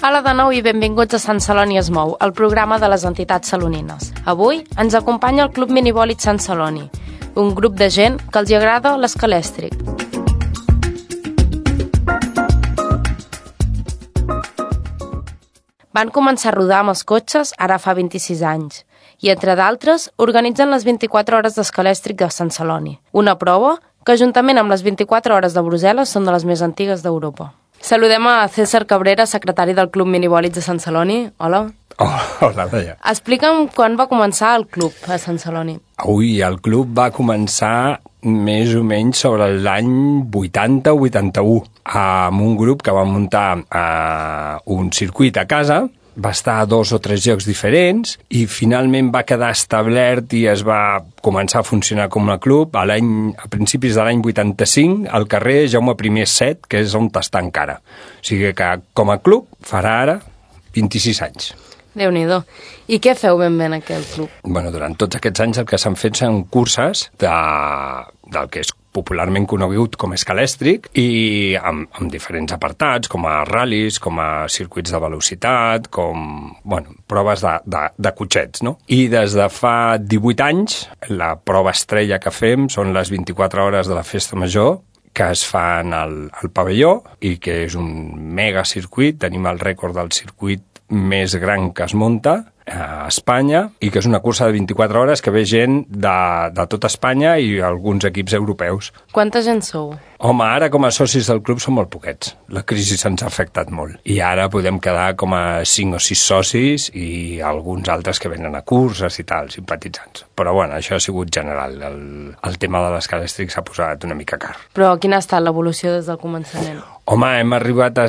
Hola de nou i benvinguts a Sant Celoni es mou, el programa de les entitats salonines. Avui ens acompanya el Club Minivòlit Sant Celoni, un grup de gent que els agrada l'escalèstric. Van començar a rodar amb els cotxes ara fa 26 anys i, entre d'altres, organitzen les 24 hores d'escalèstric de Sant Celoni, una prova que, juntament amb les 24 hores de Brussel·les, són de les més antigues d'Europa. Saludem a César Cabrera, secretari del Club Minivòlits de Sant Celoni. Hola. Hola, Laia. Explica'm quan va començar el club a Sant Celoni. El club va començar més o menys sobre l'any 80 o 81, amb un grup que va muntar un circuit a casa. Va estar a 2 o 3 llocs diferents i finalment va quedar establert i es va començar a funcionar com a club a principis de l'any 85 al carrer Jaume I 7, que és on està encara. O sigui que com a club farà ara 26 anys. Déu-n'hi-do. I què feu ben bé en aquell club? Durant tots aquests anys el que s'han fet són curses del que és popularment conegut com escalèstric i amb diferents apartats, com a ral·lis, com a circuits de velocitat, com proves de cotxets, no? I des de fa 18 anys, la prova estrella que fem són les 24 hores de la Festa Major, que es fan al pavelló i que és un mega circuit. Tenim el rècord del circuit més gran que es munta a Espanya i que és una cursa de 24 hores que ve gent de tot Espanya i alguns equips europeus. Quanta gent sou? Home, ara com a socis del club som molt poquets. La crisi se'ns ha afectat molt. I ara podem quedar com a 5 o 6 socis i alguns altres que venen a curses i tal, simpatitzants. Però això ha sigut general. El tema de l'escalèstric s'ha posat una mica car. Però quina ha estat l'evolució des del començament? Home, hem arribat a...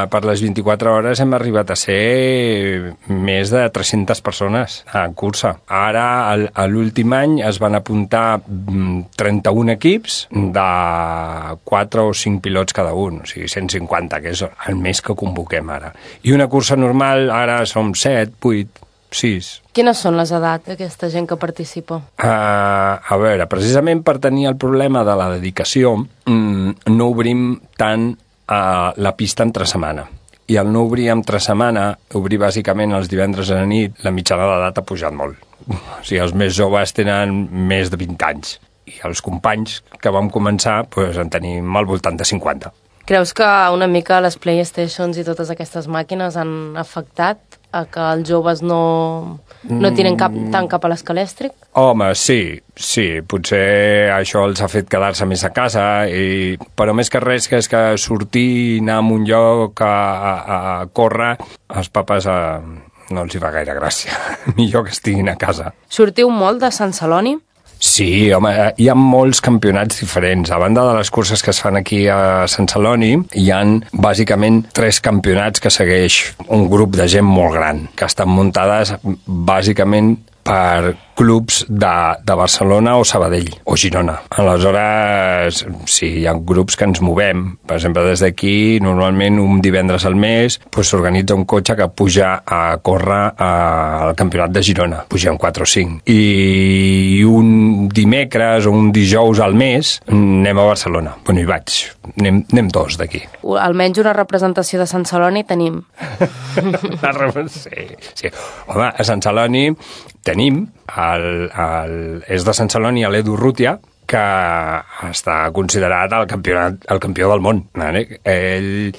per les 24 hores hem arribat a ser més de 300 persones en cursa. Ara, a l'últim any, es van apuntar 31 equips de 4 o 5 pilots cada un, o sigui, 150, que és el més que convoquem ara. I una cursa normal, ara som 7, 8, 6. Quines són les edats d'aquesta gent que participa? Precisament per tenir el problema de la dedicació, no obrim tant la pista entre setmana. I al no obrir entre setmana, obrir bàsicament els divendres a la nit, la mitjana d'edat ha pujat molt. O sigui, els més joves tenen més de 20 anys. I els companys que vam començar en tenim al voltant de 50. Creus que una mica les PlayStations i totes aquestes màquines han afectat a que els joves no tiren tant cap a l'escalèstric? Home, sí. Potser això els ha fet quedar-se més a casa, però més que res que és que sortir, anar a un lloc a córrer, als papes no els hi fa gaire gràcia. Millor que estiguin a casa. Sortiu molt de Sant Celoni? Sí, home, hi ha molts campionats diferents. A banda de les curses que es fan aquí a Sant Celoni, hi ha bàsicament 3 campionats que segueix un grup de gent molt gran, que estan muntades bàsicament per clubs de Barcelona o Sabadell o Girona. Aleshores, sí, hi ha grups que ens movem. Per exemple, des d'aquí, normalment un divendres al mes, s'organitza un cotxe que puja a córrer al campionat de Girona. Pugem 4 o 5. I un dimecres o un dijous al mes anem a Barcelona. Hi vaig. Anem 2 d'aquí. Almenys una representació de Sant Celoni tenim. Sí. Home, a Sant Celoni tenim és de Sant Celoni a l'Edu Rútia, que està considerat el campió del món. Hi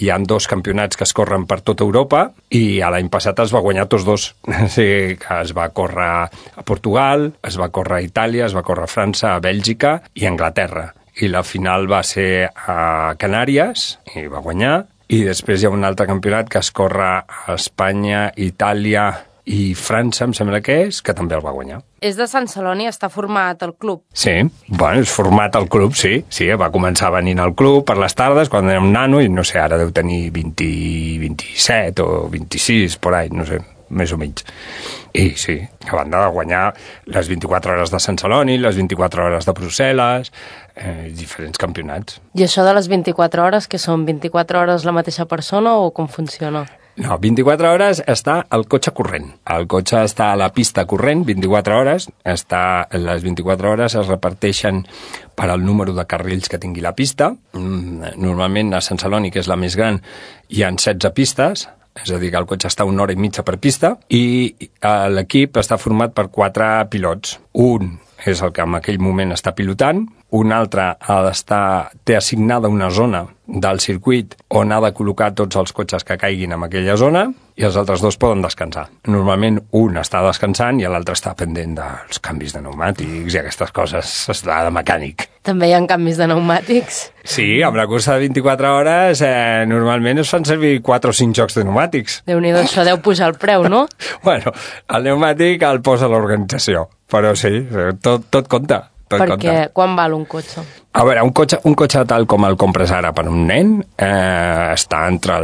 ha 2 campionats que es corren per tota Europa i l'any passat es va guanyar tots 2. Sí, que es va córrer a Portugal, es va córrer a Itàlia, es va córrer a França, a Bèlgica i a Anglaterra. I la final va ser a Canàries i va guanyar. I després hi ha un altre campionat que es corre a Espanya, Itàlia i França, em sembla que també el va guanyar. És de Sant Celoni, està format el club? Sí, és format el club, sí. Sí, va començar venint al club per les tardes, quan era un nano, i no sé, ara deu tenir 27 o 26, por ahí, no sé, més o menys. I sí, a banda de guanyar les 24 hores de Sant Celoni, les 24 hores de Brussel·les, diferents campionats. I això de les 24 hores, que són 24 hores la mateixa persona o com funciona? No, 24 hores està el cotxe corrent. El cotxe està a la pista corrent 24 hores. Les 24 hores es reparteixen per al número de carrils que tingui la pista. Normalment a Sant Celoni, que és la més gran, hi ha 16 pistes, és a dir, que el cotxe està 1 hora i mitja per pista, i l'equip està format per 4 pilots. Un és el que en aquell moment està pilotant, un altre té assignada una zona del circuit on ha de col·locar tots els cotxes que caiguin en aquella zona, i els altres 2 poden descansar. Normalment un està descansant i l'altre està pendent dels canvis de pneumàtics i aquestes coses, està de mecànic. També hi ha canvis de pneumàtics? Sí, amb la cursa de 24 hores normalment es fan servir 4 o 5 jocs de pneumàtics. Déu-n'hi-do, això deu pujar el preu, no? Bueno, el pneumàtic el posa l'organització, però sí, tot compta. Perquè quan val un cotxe? A veure, un cotxe tal com el compres ara per un nen està entre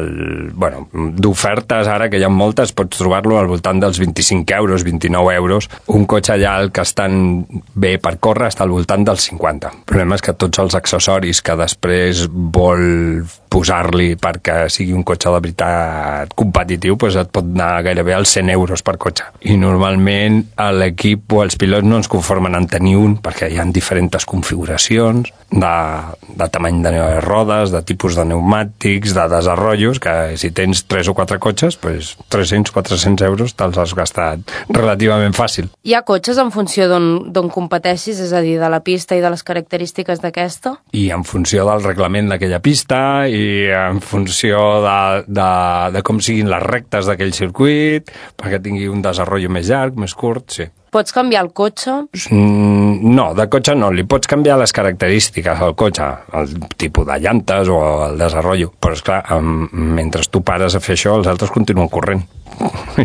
d'ofertes ara, que hi ha moltes, pots trobar-lo al voltant dels 25 euros, 29 euros. Un cotxe allà, el que estan bé per córrer, està al voltant dels 50. El problema és que tots els accessoris que després vol posar-li perquè sigui un cotxe de veritat competitiu, doncs et pot anar gairebé als 100 euros per cotxe. I normalment l'equip o els pilots no ens conformen en tenir un, perquè hi ha diferents configuracions de tamany de rodes, de tipus de pneumàtics, de desenrotllos, que si tens 3 o 4 cotxes, doncs 300-400 euros te'ls has gastat relativament fàcil. Hi ha cotxes en funció d'on competeixis, és a dir, de la pista i de les característiques d'aquesta? I en funció del reglament d'aquella pista i en funció de com siguin les rectes d'aquell circuit, perquè tingui un desenrotllo més llarg, més curt, sí. Pots canviar el cotxe? No, de cotxe no. Li pots canviar les característiques al cotxe, el tipus de llantes o el desenrotllo. Però, esclar, mentre tu pares a fer això, els altres continuen corrent.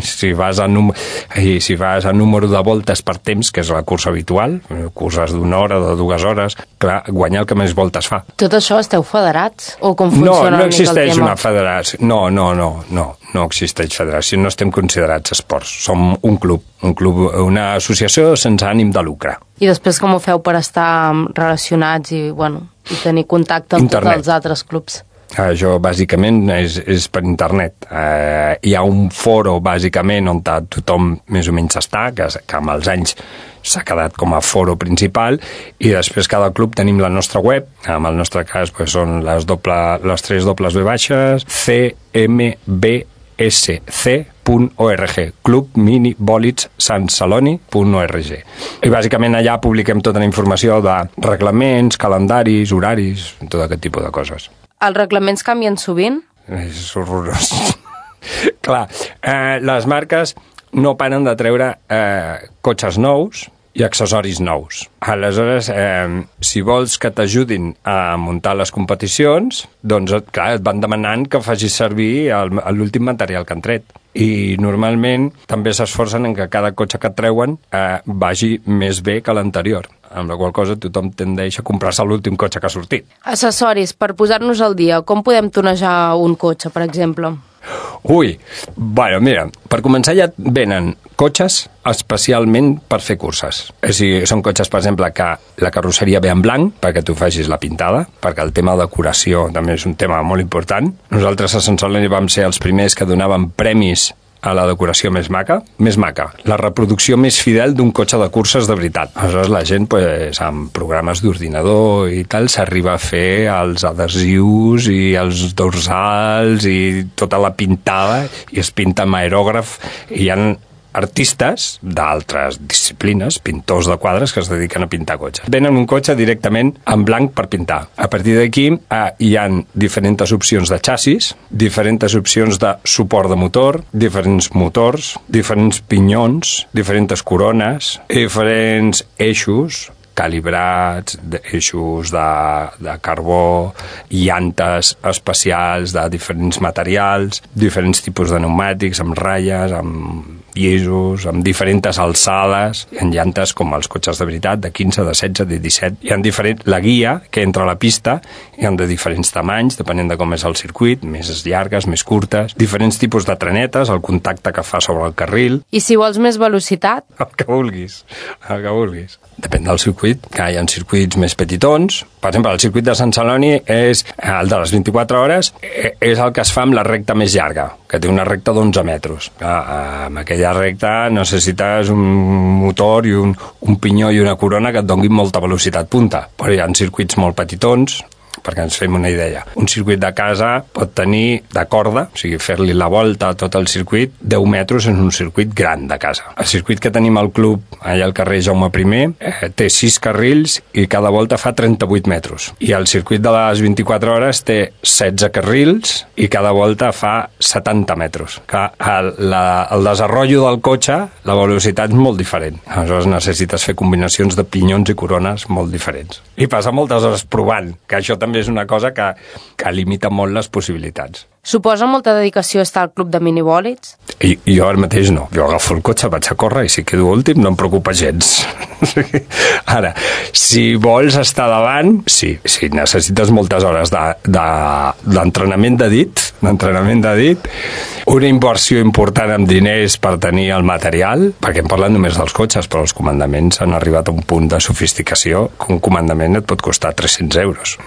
Si vas a número de voltes per temps, que és la cursa habitual, curses d'1 hora, de 2 hores, clar, guanyar el que més voltes fa. Tot això esteu federats? O com funciona no existeix una federació. No existeix federació, no estem considerats esports. Som un club, una associació sense ànim de lucre. I després com ho feu per estar relacionats i tenir contacte amb tots els altres clubs? Això bàsicament és per internet. Hi ha un foro bàsicament on tothom més o menys està, que amb els anys s'ha quedat com a foro principal, i després cada club tenim la nostra web. En el nostre cas són les 3 dobles V baixes, cmbsc.org, clubminibolidsantceloni.org. I bàsicament allà publiquem tota la informació de reglaments, calendaris, horaris, tot aquest tipus de coses. Els reglaments canvien sovint? És horrorós. Clar, les marques no paren de treure cotxes nous i accessoris nous. Aleshores, si vols que t'ajudin a muntar les competicions, doncs, clar, et van demanant que facis servir l'últim material que han tret. I normalment també s'esforcen en que cada cotxe que treuen vagi més bé que l'anterior, amb la qual cosa tothom tendeix a comprar-se l'últim cotxe que ha sortit. Accessoris, per posar-nos al dia, com podem tonejar un cotxe, per exemple? Mira, per començar ja venen cotxes especialment per fer curses. Són cotxes, per exemple, que la carrosseria ve en blanc perquè tu facis la pintada, perquè el tema de decoració també és un tema molt important. Nosaltres a Sant Celoni vam ser els primers que donaven premis a la decoració més maca, la reproducció més fidel d'un cotxe de curses de veritat. Aleshores la gent, amb programes d'ordinador i tal, s'arriba a fer els adhesius i els dorsals i tota la pintada, i es pinta amb aerògraf, i hi ha artistes d'altres disciplines, pintors de quadres, que es dediquen a pintar cotxes. Venen un cotxe directament en blanc per pintar. A partir d'aquí hi ha diferents opcions de xassis, diferents opcions de suport de motor, diferents motors, diferents pinyons, diferents corones, diferents eixos calibrats, eixos de carbó, llantes especials de diferents materials, diferents tipus de pneumàtics, amb ratlles, amb llisos, amb diferents alçades. Hi ha llantes com els cotxes de veritat, de 15, de 16, de 17. Hi ha la guia que entra a la pista, hi ha de diferents tamanys, depenent de com és el circuit, més llargues, més curtes, diferents tipus de trenetes, el contacte que fa sobre el carril. I si vols més velocitat? El que vulguis. Depèn del circuit, que hi ha circuits més petitons. Per exemple, el circuit de Sant Celoni és el de les 24 hores, és el que es fa amb la recta més llarga. que té una recta d'11 metres. Amb aquella recta necessites un motor i un pinyó i una corona que et donguin molta velocitat punta. Però hi ha circuits molt petitons, perquè ens fem una idea. Un circuit de casa pot tenir de corda, o sigui, fer-li la volta a tot el circuit, 10 metres en un circuit gran de casa. El circuit que tenim al club, allà al carrer Jaume I, té 6 carrils i cada volta fa 38 metres. I el circuit de les 24 hores té 16 carrils i cada volta fa 70 metres. Que el desenrotllo del cotxe, la velocitat és molt diferent. Aleshores necessites fer combinacions de pinyons i corones molt diferents. I passa moltes hores provant, que això també és una cosa que limita molt les possibilitats. Suposa molta dedicació estar al club de minibòlids? I jo ara mateix no. Jo agafo el cotxe, vaig a córrer i si quedo últim no em preocupa gens. Ara, si vols estar davant, sí, necessites moltes hores d'entrenament de dit, una inversió important en diners per tenir el material, perquè hem parlat només dels cotxes, però els comandaments han arribat a un punt de sofisticació que un comandament et pot costar 300 euros.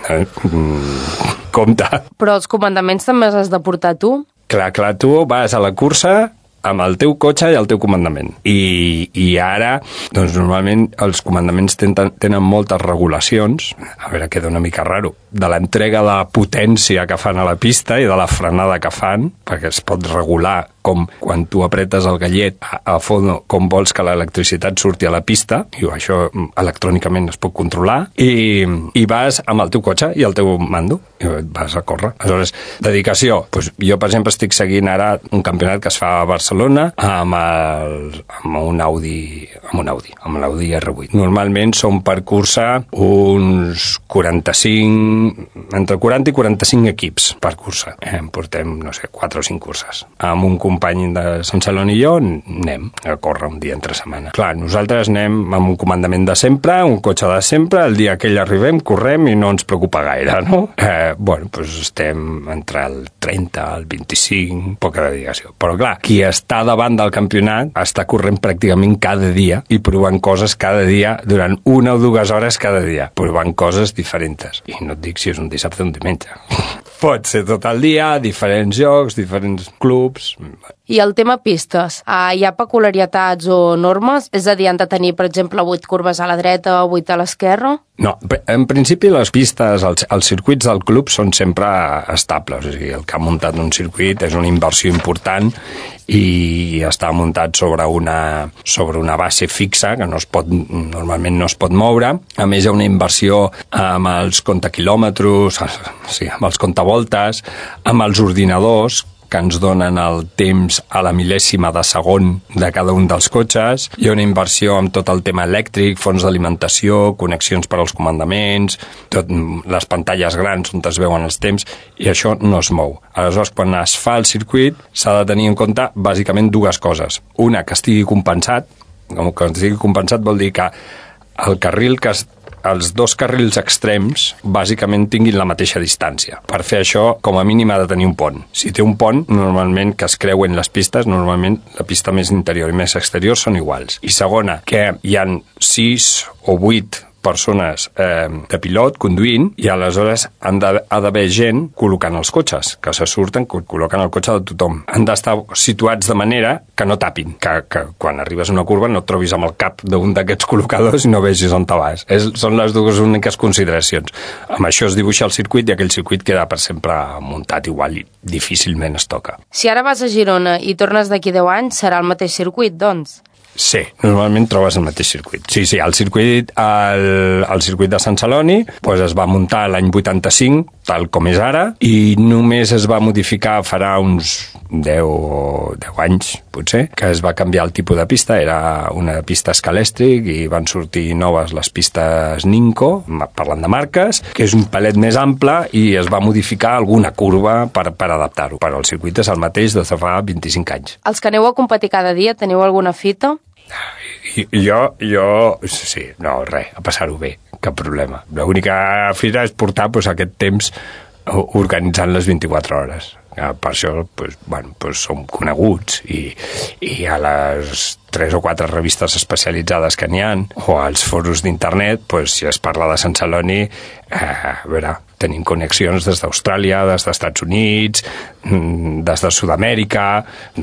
Compte. Però els comandaments també els has de portar tu? Clar, tu vas a la cursa amb el teu cotxe i el teu comandament. I ara, doncs normalment els comandaments tenen moltes regulacions, a veure, queda una mica raro, de l'entrega de potència que fan a la pista i de la frenada que fan, perquè es pot regular com quan tu apretes el gallet a fons, com vols que l'electricitat surti a la pista, i això electrònicament es pot controlar, i vas amb el teu cotxe i el teu mando, i vas a córrer. Aleshores, dedicació. Pues jo, per exemple, estic seguint ara un campionat que es fa a Barcelona amb un Audi R8. Normalment són per cursa uns 45, entre 40 i 45 equips per cursa. Portem, no sé, 4 o 5 curses. Amb un company de Sant Celoni i jo anem a córrer un dia entre setmana. Clar, nosaltres anem amb un comandament de sempre, un cotxe de sempre, el dia que hi arribem, correm i no ens preocupa gaire, no? Doncs estem entre el 30, el 25, poca dedicació. Però clar, qui està davant del campionat està corrent pràcticament cada dia i provant coses cada dia durant 1 o 2 hores cada dia, provant coses diferents. I no et dic si és un dissabte o un diumenge. Pot ser tot el dia, diferents jocs, diferents clubs. I el tema pistes, hi ha peculiaritats o normes? És a dir, han de tenir, per exemple, 8 curves a la dreta o 8 a l'esquerra? No, en principi les pistes, els circuits del club són sempre estables. O sigui, el que ha muntat un circuit és una inversió important i està muntat sobre una base fixa que normalment no es pot moure. A més, hi ha una inversió amb els comptaquilòmetres, amb els comptavoltes, amb els ordinadors, que ens donen el temps a la mil·lèsima de segon de cada un dels cotxes. Hi ha una inversió amb tot el tema elèctric, fonts d'alimentació, connexions per als comandaments, les pantalles grans on es veuen els temps, i això no es mou. Aleshores, quan es fa el circuit, s'ha de tenir en compte bàsicament 2 coses. Una, que estigui compensat. Que estigui compensat vol dir que el carril els 2 carrils extrems bàsicament tinguin la mateixa distància. Per fer això, com a mínim ha de tenir un pont. Si té un pont, normalment que es creuen les pistes, normalment la pista més interior i més exterior són iguals. I segona, que hi ha 6 o 8 persones de pilot conduint i aleshores ha d'haver gent col·locant els cotxes, que se surten, col·loquen el cotxe de tothom. Han d'estar situats de manera que no tapin, que quan arribes a una curva no et trobis amb el cap d'un d'aquests col·locadors i no vegis on te vas. Són les 2 úniques consideracions. Amb això es dibuixa el circuit i aquell circuit queda per sempre muntat igual i difícilment es toca. Si ara vas a Girona i tornes d'aquí 10 anys, serà el mateix circuit, doncs? Sí, normalment trobes el mateix circuit. Sí, el circuit de Sant Celoni es va muntar l'any 85, tal com és ara, i només es va modificar farà uns 10 anys, potser, que es va canviar el tipus de pista. Era una pista escalèstric i van sortir noves les pistes Ninco, parlant de marques, que és un palet més ample i es va modificar alguna curva per adaptar-ho. Però el circuit és el mateix des de fa 25 anys. Els que aneu a competir cada dia, teniu alguna fita? Sí, no, res, a passar-ho bé, cap problema. L'única fita és portar aquest temps organitzant les 24 hores. Per això som coneguts i a les 3 o 4 revistes especialitzades que n'hi ha o als foros d'internet, si es parla de Sant Celoni, a veure, tenim connexions des d'Austràlia, des dels Estats Units, des de Sud-amèrica,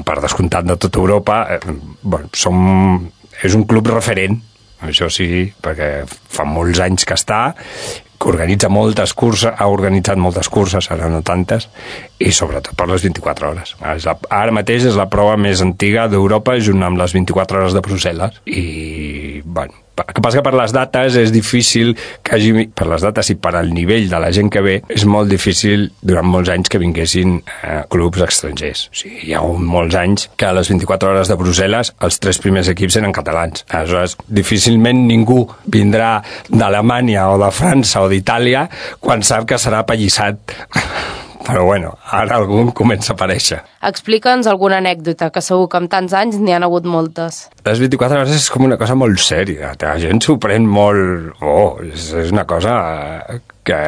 per descomptat de tota Europa. És un club referent, això sí, perquè fa molts anys que està, que organitza moltes curses, ha organitzat moltes curses, ara no tantes, i sobretot per les 24 hores. Ara mateix és la prova més antiga d'Europa, junt amb les 24 hores de Brussel·les, i, bueno, el que passa que per les dates és difícil que hagi, per les dates i per al nivell de la gent que ve, és molt difícil durant molts anys que vinguessin clubs estrangers. O sigui, hi ha hagut molts anys que a les 24 hores de Brussel·les els 3 primers equips eren catalans. Aleshores, difícilment ningú vindrà d'Alemanya o de França o d'Itàlia quan sap que serà apallissat. Però bueno, ara algun comença a aparèixer. Explica'ns alguna anècdota, que segur que amb tants anys n'hi han hagut moltes. Les 24 hores és com una cosa molt sèria. La gent s'ho pren molt... és una cosa que...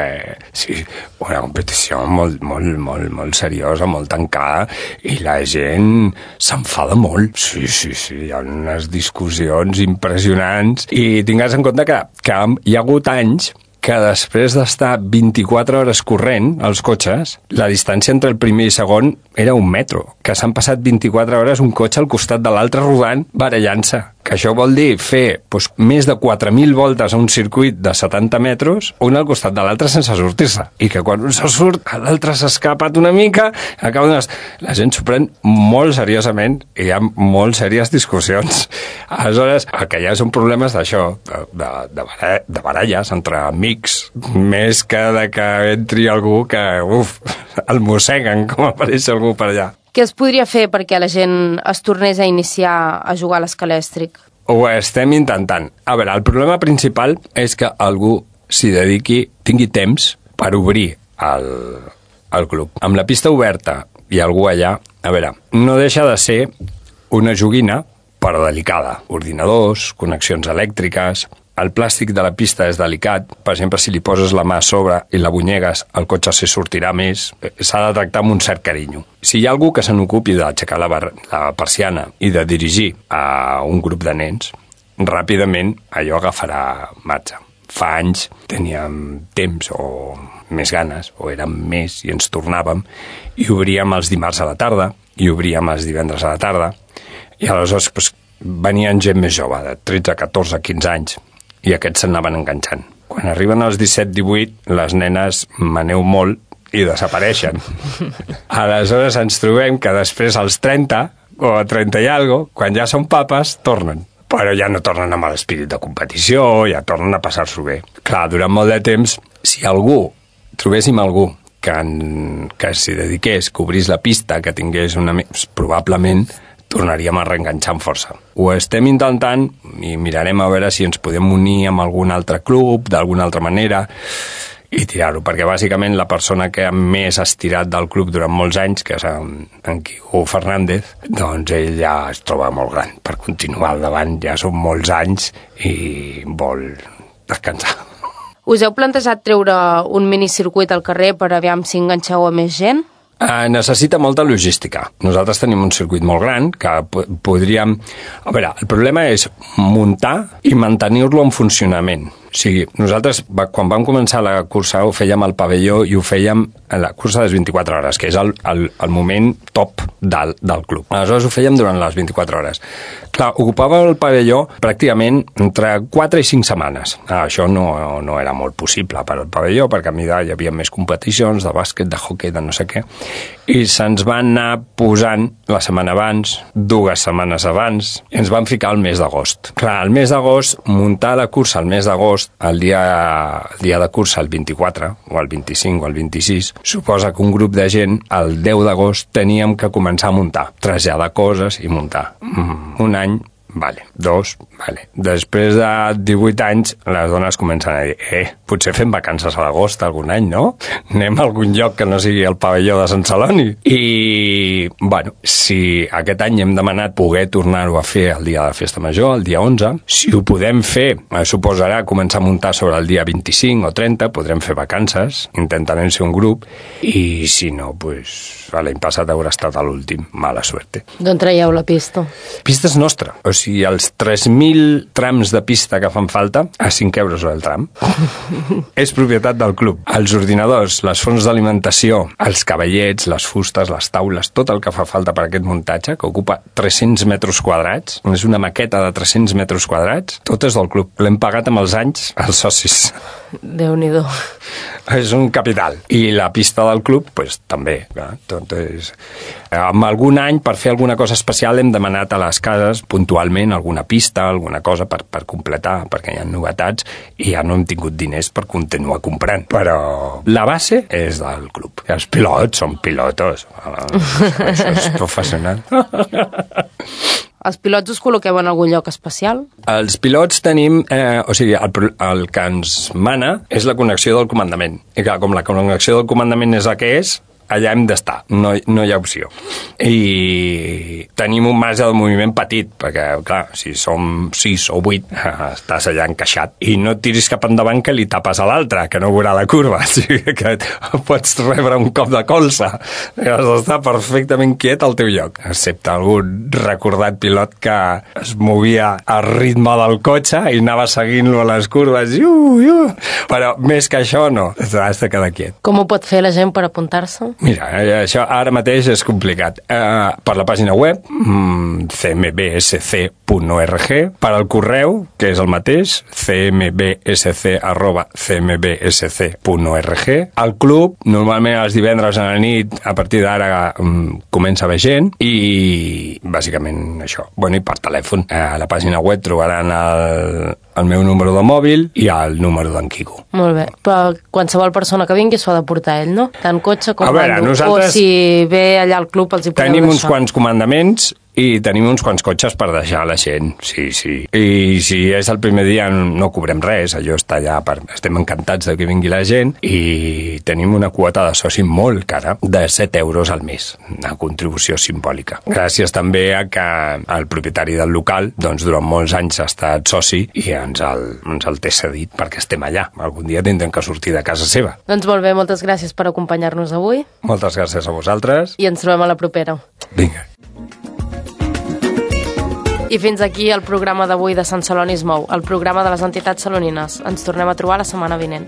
Sí, una competició molt seriosa, molt tancada, i la gent s'enfada molt. Sí, hi ha unes discussions impressionants. I tingues en compte que hi ha hagut anys que després d'estar 24 hores corrent als cotxes, la distància entre el primer i segon era 1 metro, que s'han passat 24 hores un cotxe al costat de l'altre rodant, barallant-se. Que això vol dir fer més de 4.000 voltes a un circuit de 70 metres, un al costat de l'altre sense sortir-se. I que quan un se surt, l'altre s'ha escapat una mica, la gent s'ho pren molt seriosament i hi ha molt sèries discussions. Aleshores, el que hi ha són problemes d'això, de baralles entre amics, més que de que entri algú que, el mosseguen com apareix algú per allà. Què es podria fer perquè la gent es tornés a iniciar a jugar a l'escalèstric? Ho estem intentant. A veure, el problema principal és que algú s'hi dediqui, tingui temps per obrir el club. Amb la pista oberta i algú allà, a veure, no deixa de ser una joguina, però delicada. Ordinadors, connexions elèctriques... El plàstic de la pista és delicat. Per exemple, si li poses la mà a sobre i la bunyegues, el cotxe se sortirà més. S'ha de tractar amb un cert carinyo. Si hi ha algú que se n'ocupi d'aixecar la persiana i de dirigir a un grup de nens, ràpidament allò agafarà marxa. Fa anys teníem temps o més ganes, o érem més i ens tornàvem, i obríem els dimarts a la tarda, i obríem els divendres a la tarda, i aleshores venien gent més jove, de 13, 14, 15 anys, i aquests s'anaven enganxant. Quan arriben als 17-18, les nenes maneu molt i desapareixen. Aleshores ens trobem que després als 30 o a 30 i alguna cosa, quan ja són papes, tornen. Però ja no tornen amb l'espírit de competició, ja tornen a passar-s'ho bé. Clar, durant molt de temps, si trobéssim algú que s'hi dediqués, que obrís la pista, que tingués probablement tornaríem a reenganxar amb força. Ho estem intentant i mirarem a veure si ens podem unir amb algun altre club, d'alguna altra manera, i tirar-ho, perquè bàsicament la persona que més ha estirat del club durant molts anys, que és en Quico Fernández, doncs ell ja es troba molt gran per continuar al davant, ja són molts anys i vol descansar. Us heu plantejat treure un minicircuit al carrer per aviam si enganxeu a més gent? Necessita molta logística. Nosaltres tenim un circuit molt gran que podríem... A veure, el problema és muntar i mantenir-lo en funcionament. O sigui, nosaltres, quan vam començar la cursa, ho fèiem al pavelló i ho fèiem a la cursa de les 24 hores, que és el moment top del club. Aleshores ho fèiem durant les 24 hores. Clar, ocupava el pavelló pràcticament entre 4 i 5 setmanes. Això no era molt possible per al pavelló, perquè a mida hi havia més competicions de bàsquet, de hoquei, de no sé què, i se'ns van anar posant la setmana abans, 2 setmanes abans, i ens van ficar al mes d'agost. Clar, al mes d'agost, muntar la cursa al mes d'agost, el dia de cursa, el 24, o el 25 o el 26, suposa que un grup de gent, el 10 d'agost, teníem que començar a muntar, traslladar coses i muntar. Un any, vale. 2, vale. Després de 18 anys, les dones comencen a dir potser fem vacances a l'agost algun any, no? Anem a algun lloc que no sigui el pavelló de Sant Celoni. I, bueno, si aquest any hem demanat poder tornar-ho a fer el dia de Festa Major, el dia 11, si ho podem fer, suposarà començar a muntar sobre el dia 25 o 30, podrem fer vacances, intentarem ser un grup, i si no, doncs, l'any passat haurà estat a l'últim. Mala suerte. D'on traieu la pista? Pista és nostra. O sigui, els 3.000 trams de pista que fan falta, a 5 euros el tram. És propietat del club. Els ordinadors, les fonts d'alimentació, els cavallets, les fustes, les taules, tot el que fa falta per aquest muntatge, que ocupa 300 metres quadrats, és una maqueta de 300 metres quadrats, tot és del club. L'hem pagat amb els anys als socis. Déu-n'hi-do. És un capital. I la pista del club, pues, també. Entonces, amb algun any, per fer alguna cosa especial, hem demanat a les cases, puntualment, alguna pista, alguna cosa per completar, perquè hi ha novetats, i ja no hem tingut diners per continuar comprant. Però la base és del club. I els pilots són pilotos. Això és professional. Els pilots us col·loqueu en algun lloc especial? Els pilots tenim... o sigui, el que ens mana és la connexió del comandament. I clar, com la connexió del comandament és la que és, allà hem d'estar, no hi ha opció. I tenim un marge de moviment petit, perquè, clar, si som 6 o 8, estàs allà encaixat. I no et tiris cap endavant que li tapes a l'altre, que no veurà la curva. O sigui, que pots rebre un cop de colze. Has d'estar perfectament quiet al teu lloc. Excepte algun recordat pilot que es movia al ritme del cotxe i anava seguint-lo a les curves. Però més que això, no. Has de quedar quiet. Com ho pot fer la gent per apuntar-se? Mira, això ara mateix és complicat. Per la pàgina web, cmbsc.org, per al correu, que és el mateix, cmbsc@cmbsc.org. Al club, normalment els divendres a la nit, a partir d'ara comença a haver gent, i bàsicament això. Bueno, i per telèfon. A la pàgina web trobaran el meu número de mòbil i el número d'en Quico. Molt bé, però qualsevol persona que vingui s'ho ha de portar ell, no? Tant cotxe com nosaltres... O si ve allà al club els hi podeu tenim deixar. uns quants comandaments i tenim uns quants cotxes per deixar la gent, sí. I si és el primer dia no cobrem res, allò està allà, estem encantats de que vingui la gent, i tenim una quota de soci molt cara, de 7 euros al mes, una contribució simbòlica. Gràcies també a que el propietari del local, doncs durant molts anys ha estat soci i ens el té cedit perquè estem allà. Algun dia tindrem que sortir de casa seva. Doncs molt bé, moltes gràcies per acompanyar-nos avui. Moltes gràcies a vosaltres. I ens trobem a la propera. Vinga. I fins aquí el programa d'avui de Sant Celoni es mou, el programa de les entitats salonines. Ens tornem a trobar la setmana vinent.